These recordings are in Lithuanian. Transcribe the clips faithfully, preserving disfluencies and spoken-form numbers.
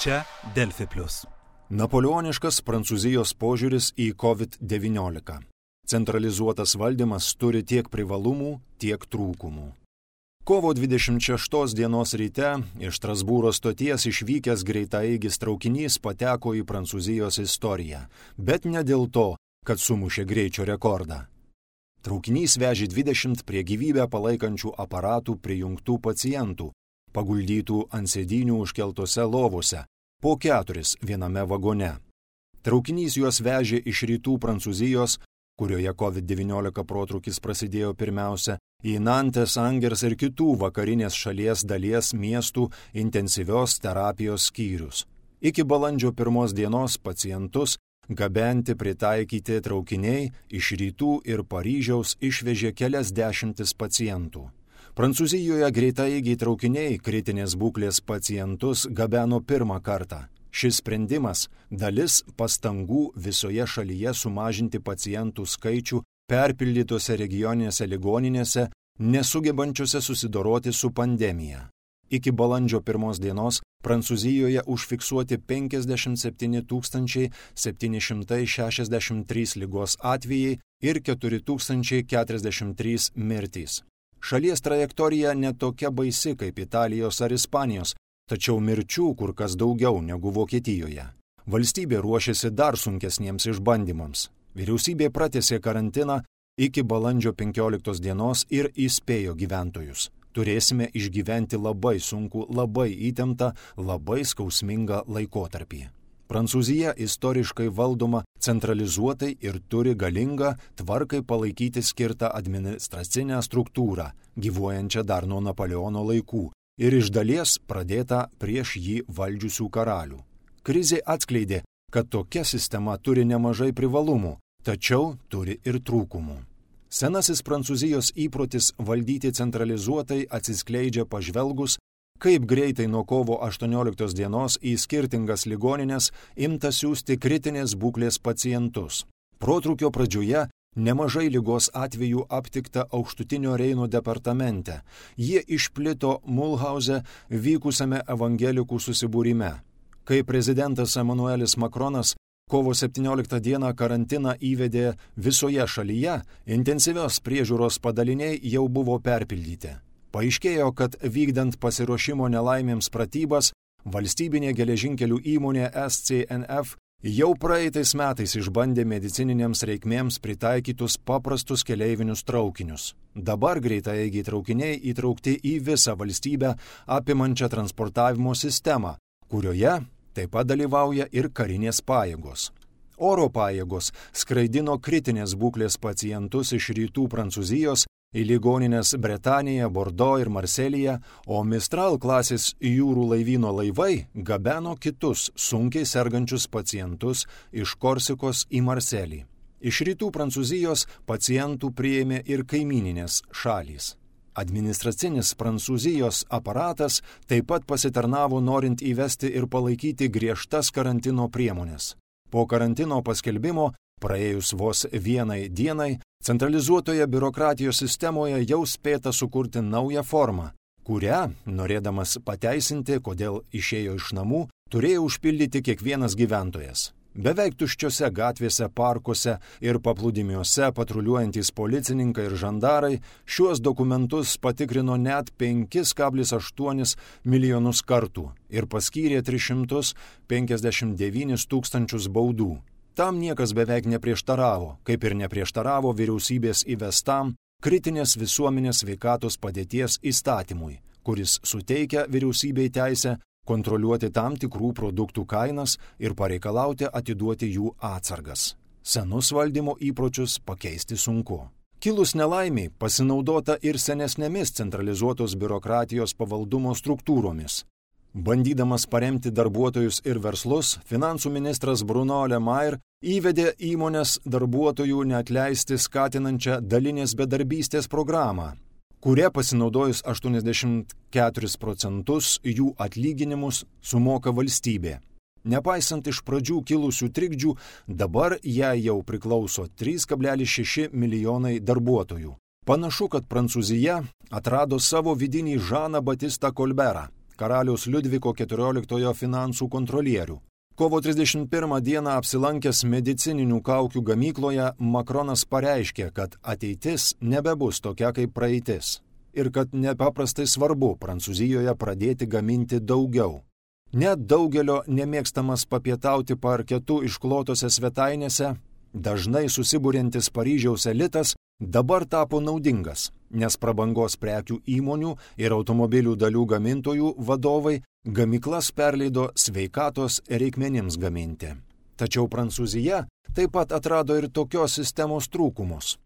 Čia Delfi plius. Napoleoniškas Prancūzijos požiūris į kovid devyniolika. Centralizuotas valdymas turi tiek privalumų, tiek trūkumų. Kovo dvidešimt šeštos dienos ryte iš Strasbūro stoties išvykęs greitaeigis traukinys pateko į Prancūzijos istoriją, bet ne dėl to, kad sumušė greičio rekordą. Traukinys vežė dvidešimt prie gyvybę palaikančių aparatų prijungtų pacientų, paguldytų ant sėdynių užkeltose lovose, po keturis viename vagone. Traukinys juos vežė iš rytų Prancūzijos, kurioje kovid devyniolika protrūkis prasidėjo pirmiausia, į Nantes, Angers ir kitų vakarinės šalies dalies miestų intensyvios terapijos skyrius. Iki balandžio pirmos dienos pacientus gabenti pritaikyti traukiniai iš rytų ir Paryžiaus išvežė kelias dešimtis pacientų. Prancūzijoje greitaeigiai traukiniai kritinės būklės pacientus gabeno pirmą kartą. Šis sprendimas – dalis pastangų visoje šalyje sumažinti pacientų skaičių perpildytose regioninėse ligoninėse, nesugebančiose susidoroti su pandemija. Iki balandžio pirmos dienos Prancūzijoje užfiksuoti penkiasdešimt septyni tūkstančiai septyni šimtai šešiasdešimt trys ligos atvejai ir keturi tūkstančiai keturiasdešimt trys mirtys. Šalies trajektorija netokia baisi kaip Italijos ar Ispanijos, tačiau mirčių kur kas daugiau negu Vokietijoje. Valstybė ruošiasi dar sunkesniems išbandymams. Vyriausybė pratęsė karantiną iki balandžio penkioliktos dienos ir įspėjo gyventojus. Turėsime išgyventi labai sunkų, labai įtemptą, labai skausmingą laikotarpį. Prancūzija istoriškai valdoma centralizuotai ir turi galingą tvarkai palaikyti skirtą administracinę struktūrą, gyvuojančią dar nuo Napoleono laikų ir iš dalies pradėtą prieš jį valdžiusių karalių. Krizė atskleidė, kad tokia sistema turi nemažai privalumų, tačiau turi ir trūkumų. Senasis Prancūzijos įprotis valdyti centralizuotai atsiskleidžia pažvelgus, kaip greitai nuo kovo aštuonioliktos dienos į skirtingas ligonines imta siųsti kritinės būklės pacientus. Protrūkio pradžioje nemažai ligos atvejų aptikta Aukštutinio Reino departamente. Jie išplito Mulhauze vykusiame evangelikų susibūrime. Kai prezidentas Emanuelis Makronas kovo septynioliktą dieną karantiną įvedė visoje šalyje, intensyvios priežiūros padaliniai jau buvo perpildyti. Paaiškėjo, kad vykdant pasiruošimo nelaimėms pratybas, valstybinė geležinkelių įmonė S C N F jau praeitais metais išbandė medicininėms reikmėms pritaikytus paprastus keleivinius traukinius. Dabar greitaeigiai traukiniai įtraukti į visą valstybę apimančią transportavimo sistemą, kurioje taip pat dalyvauja ir karinės pajėgos. Oro pajėgos skraidino kritinės būklės pacientus iš rytų Prancūzijos į ligonines Bretanėje, Bordo ir Marselyje, o Mistral klasės jūrų laivyno laivai gabeno kitus sunkiai sergančius pacientus iš Korsikos į Marselį. Iš rytų Prancūzijos pacientų priėmė ir kaimyninės šalys. Administracinis Prancūzijos aparatas taip pat pasitarnavo norint įvesti ir palaikyti griežtas karantino priemonės. Po karantino paskelbimo, praėjus vos vienai dienai, centralizuotoje biurokratijos sistemoje jau spėta sukurti naują formą, kurią, norėdamas pateisinti, kodėl išėjo iš namų, turėjo užpildyti kiekvienas gyventojas. Beveik tuščiose gatvėse, parkuose ir paplūdimiuose patruliuojantys policininkai ir žandarai šiuos dokumentus patikrino net penki kablelis aštuoni milijonus kartų ir paskyrė tris šimtus penkiasdešimt devynis tūkstančius baudų. Tam niekas beveik neprieštaravo, kaip ir neprieštaravo vyriausybės įvestam kritinės visuomenės sveikatos padėties įstatymui, kuris suteikia vyriausybei teisę kontroliuoti tam tikrų produktų kainas ir pareikalauti atiduoti jų atsargas. Senus valdymo įpročius pakeisti sunku. Kilus nelaimiai pasinaudota ir senesnėmis centralizuotos biurokratijos pavaldumo struktūromis. Bandydamas paremti darbuotojus ir verslus, finansų ministras Bruno Le Maire įvedė įmonės darbuotojų neatleisti skatinančią dalinės bedarbystės programą, kuria pasinaudojus aštuoniasdešimt keturis procentus jų atlyginimus sumoka valstybė. Nepaisant iš pradžių kilusių trikdžių, dabar jai jau priklauso trys kablelis šeši milijonai darbuotojų. Panašu, kad Prancūzija atrado savo vidinį Žaną Batistą Kolberą. karaliaus Liudviko keturioliktojo finansų kontrolierių. Kovo trisdešimt pirmą dieną apsilankęs medicininių kaukių gamykloje, Makronas pareiškė, kad ateitis nebebus tokia kaip praeitis ir kad nepaprastai svarbu Prancūzijoje pradėti gaminti daugiau. Net daugelio nemėgstamas papietauti parketu išklotose svetainėse, dažnai susiburiantis Paryžiaus elitas dabar tapo naudingas, nes prabangos prekių įmonių ir automobilių dalių gamintojų vadovai gamyklas perleido sveikatos reikmenims gaminti. Tačiau Prancūzija taip pat atrado ir tokios sistemos trūkumus.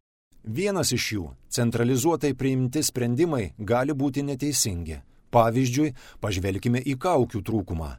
Vienas iš jų – centralizuotai priimti sprendimai gali būti neteisingi. Pavyzdžiui, pažvelkime į kaukių trūkumą.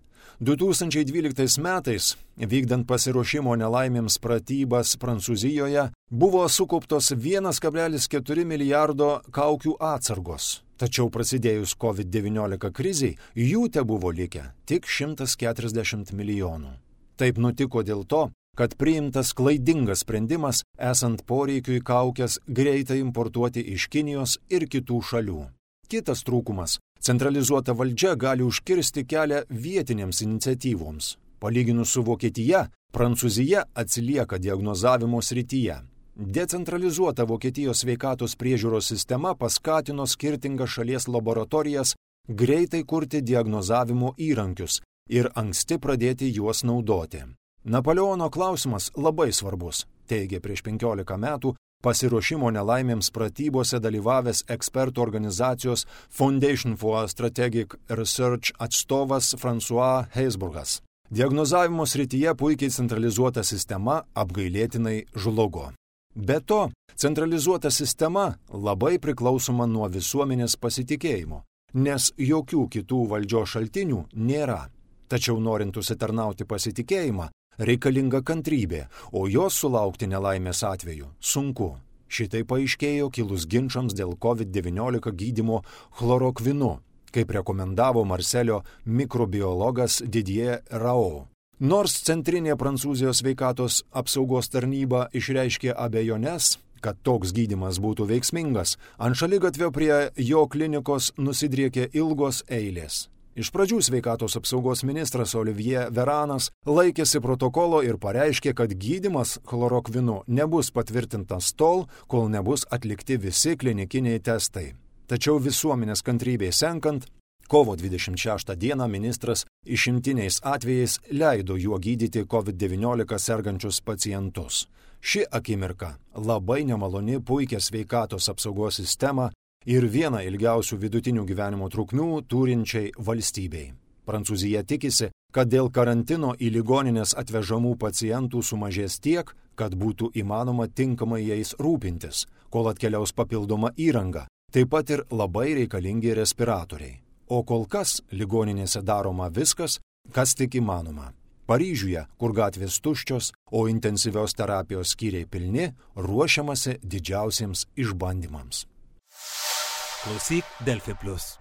du tūkstančiai dvyliktais metais, vykdant pasiruošimo nelaimėms pratybas Prancūzijoje, buvo sukauptos vienas kablelis keturi milijardo kaukių atsargos. Tačiau prasidėjus kovid devyniolika krizei, jų tebuvo likę tik šimtas keturiasdešimt milijonų. Taip nutiko dėl to, kad priimtas klaidingas sprendimas, esant poreikiui kaukės greitai importuoti iš Kinijos ir kitų šalių. Kitas trūkumas – centralizuota valdžia gali užkirsti kelią vietinėms iniciatyvoms. Palyginus su Vokietija, Prancūzija atsilieka diagnozavimo srityje. Decentralizuota Vokietijos sveikatos priežiūros sistema paskatino skirtingas šalies laboratorijas greitai kurti diagnozavimo įrankius ir anksti pradėti juos naudoti. Napoleono klausimas labai svarbus, teigė prieš penkiolika metų pasiruošimo nelaimėms pratybose dalyvavęs ekspertų organizacijos Foundation for Strategic Research atstovas François Heisburgas. Diagnozavimo srityje puikiai centralizuota sistema apgailėtinai žlugo. Be to, centralizuota sistema labai priklausoma nuo visuomenės pasitikėjimo, nes jokių kitų valdžios šaltinių nėra. Tačiau norint užsitarnauti pasitikėjimą, reikalinga kantrybė, o jos sulaukti nelaimės atveju sunku. Šitai paaiškėjo kilus ginčams dėl kovid devyniolika gydymo chlorokvinu, kaip rekomendavo Marselio mikrobiologas Didier Raoult. Nors Centrinė Prancūzijos sveikatos apsaugos tarnyba išreiškė abejones, kad toks gydymas būtų veiksmingas, ant šaligatvio prie jo klinikos nusidriekė ilgos eilės. Iš pradžių sveikatos apsaugos ministras Olivier Veranas laikėsi protokolo ir pareiškė, kad gydymas chlorokvinu nebus patvirtintas tol, kol nebus atlikti visi klinikiniai testai. Tačiau visuomenės kantrybei senkant, kovo dvidešimt šeštą dieną ministras išimtiniais atvejais leido juo gydyti kovid devyniolika sergančius pacientus. Ši akimirka labai nemaloni puikia sveikatos apsaugos sistema ir viena ilgiausių vidutinių gyvenimo trukmių turinčiai valstybei. Prancūzija tikisi, kad dėl karantino į ligonines atvežamų pacientų sumažės tiek, kad būtų įmanoma tinkamai jais rūpintis, kol atkeliaus papildoma įranga, taip pat ir labai reikalingi respiratoriai. O kol kas ligoninėse daroma viskas, kas tik įmanoma. Paryžiuje, kur gatvės tuščios, o intensyvios terapijos skyriai pilni, ruošiamasi didžiausiems išbandymams. Klausyk Delfi Plus.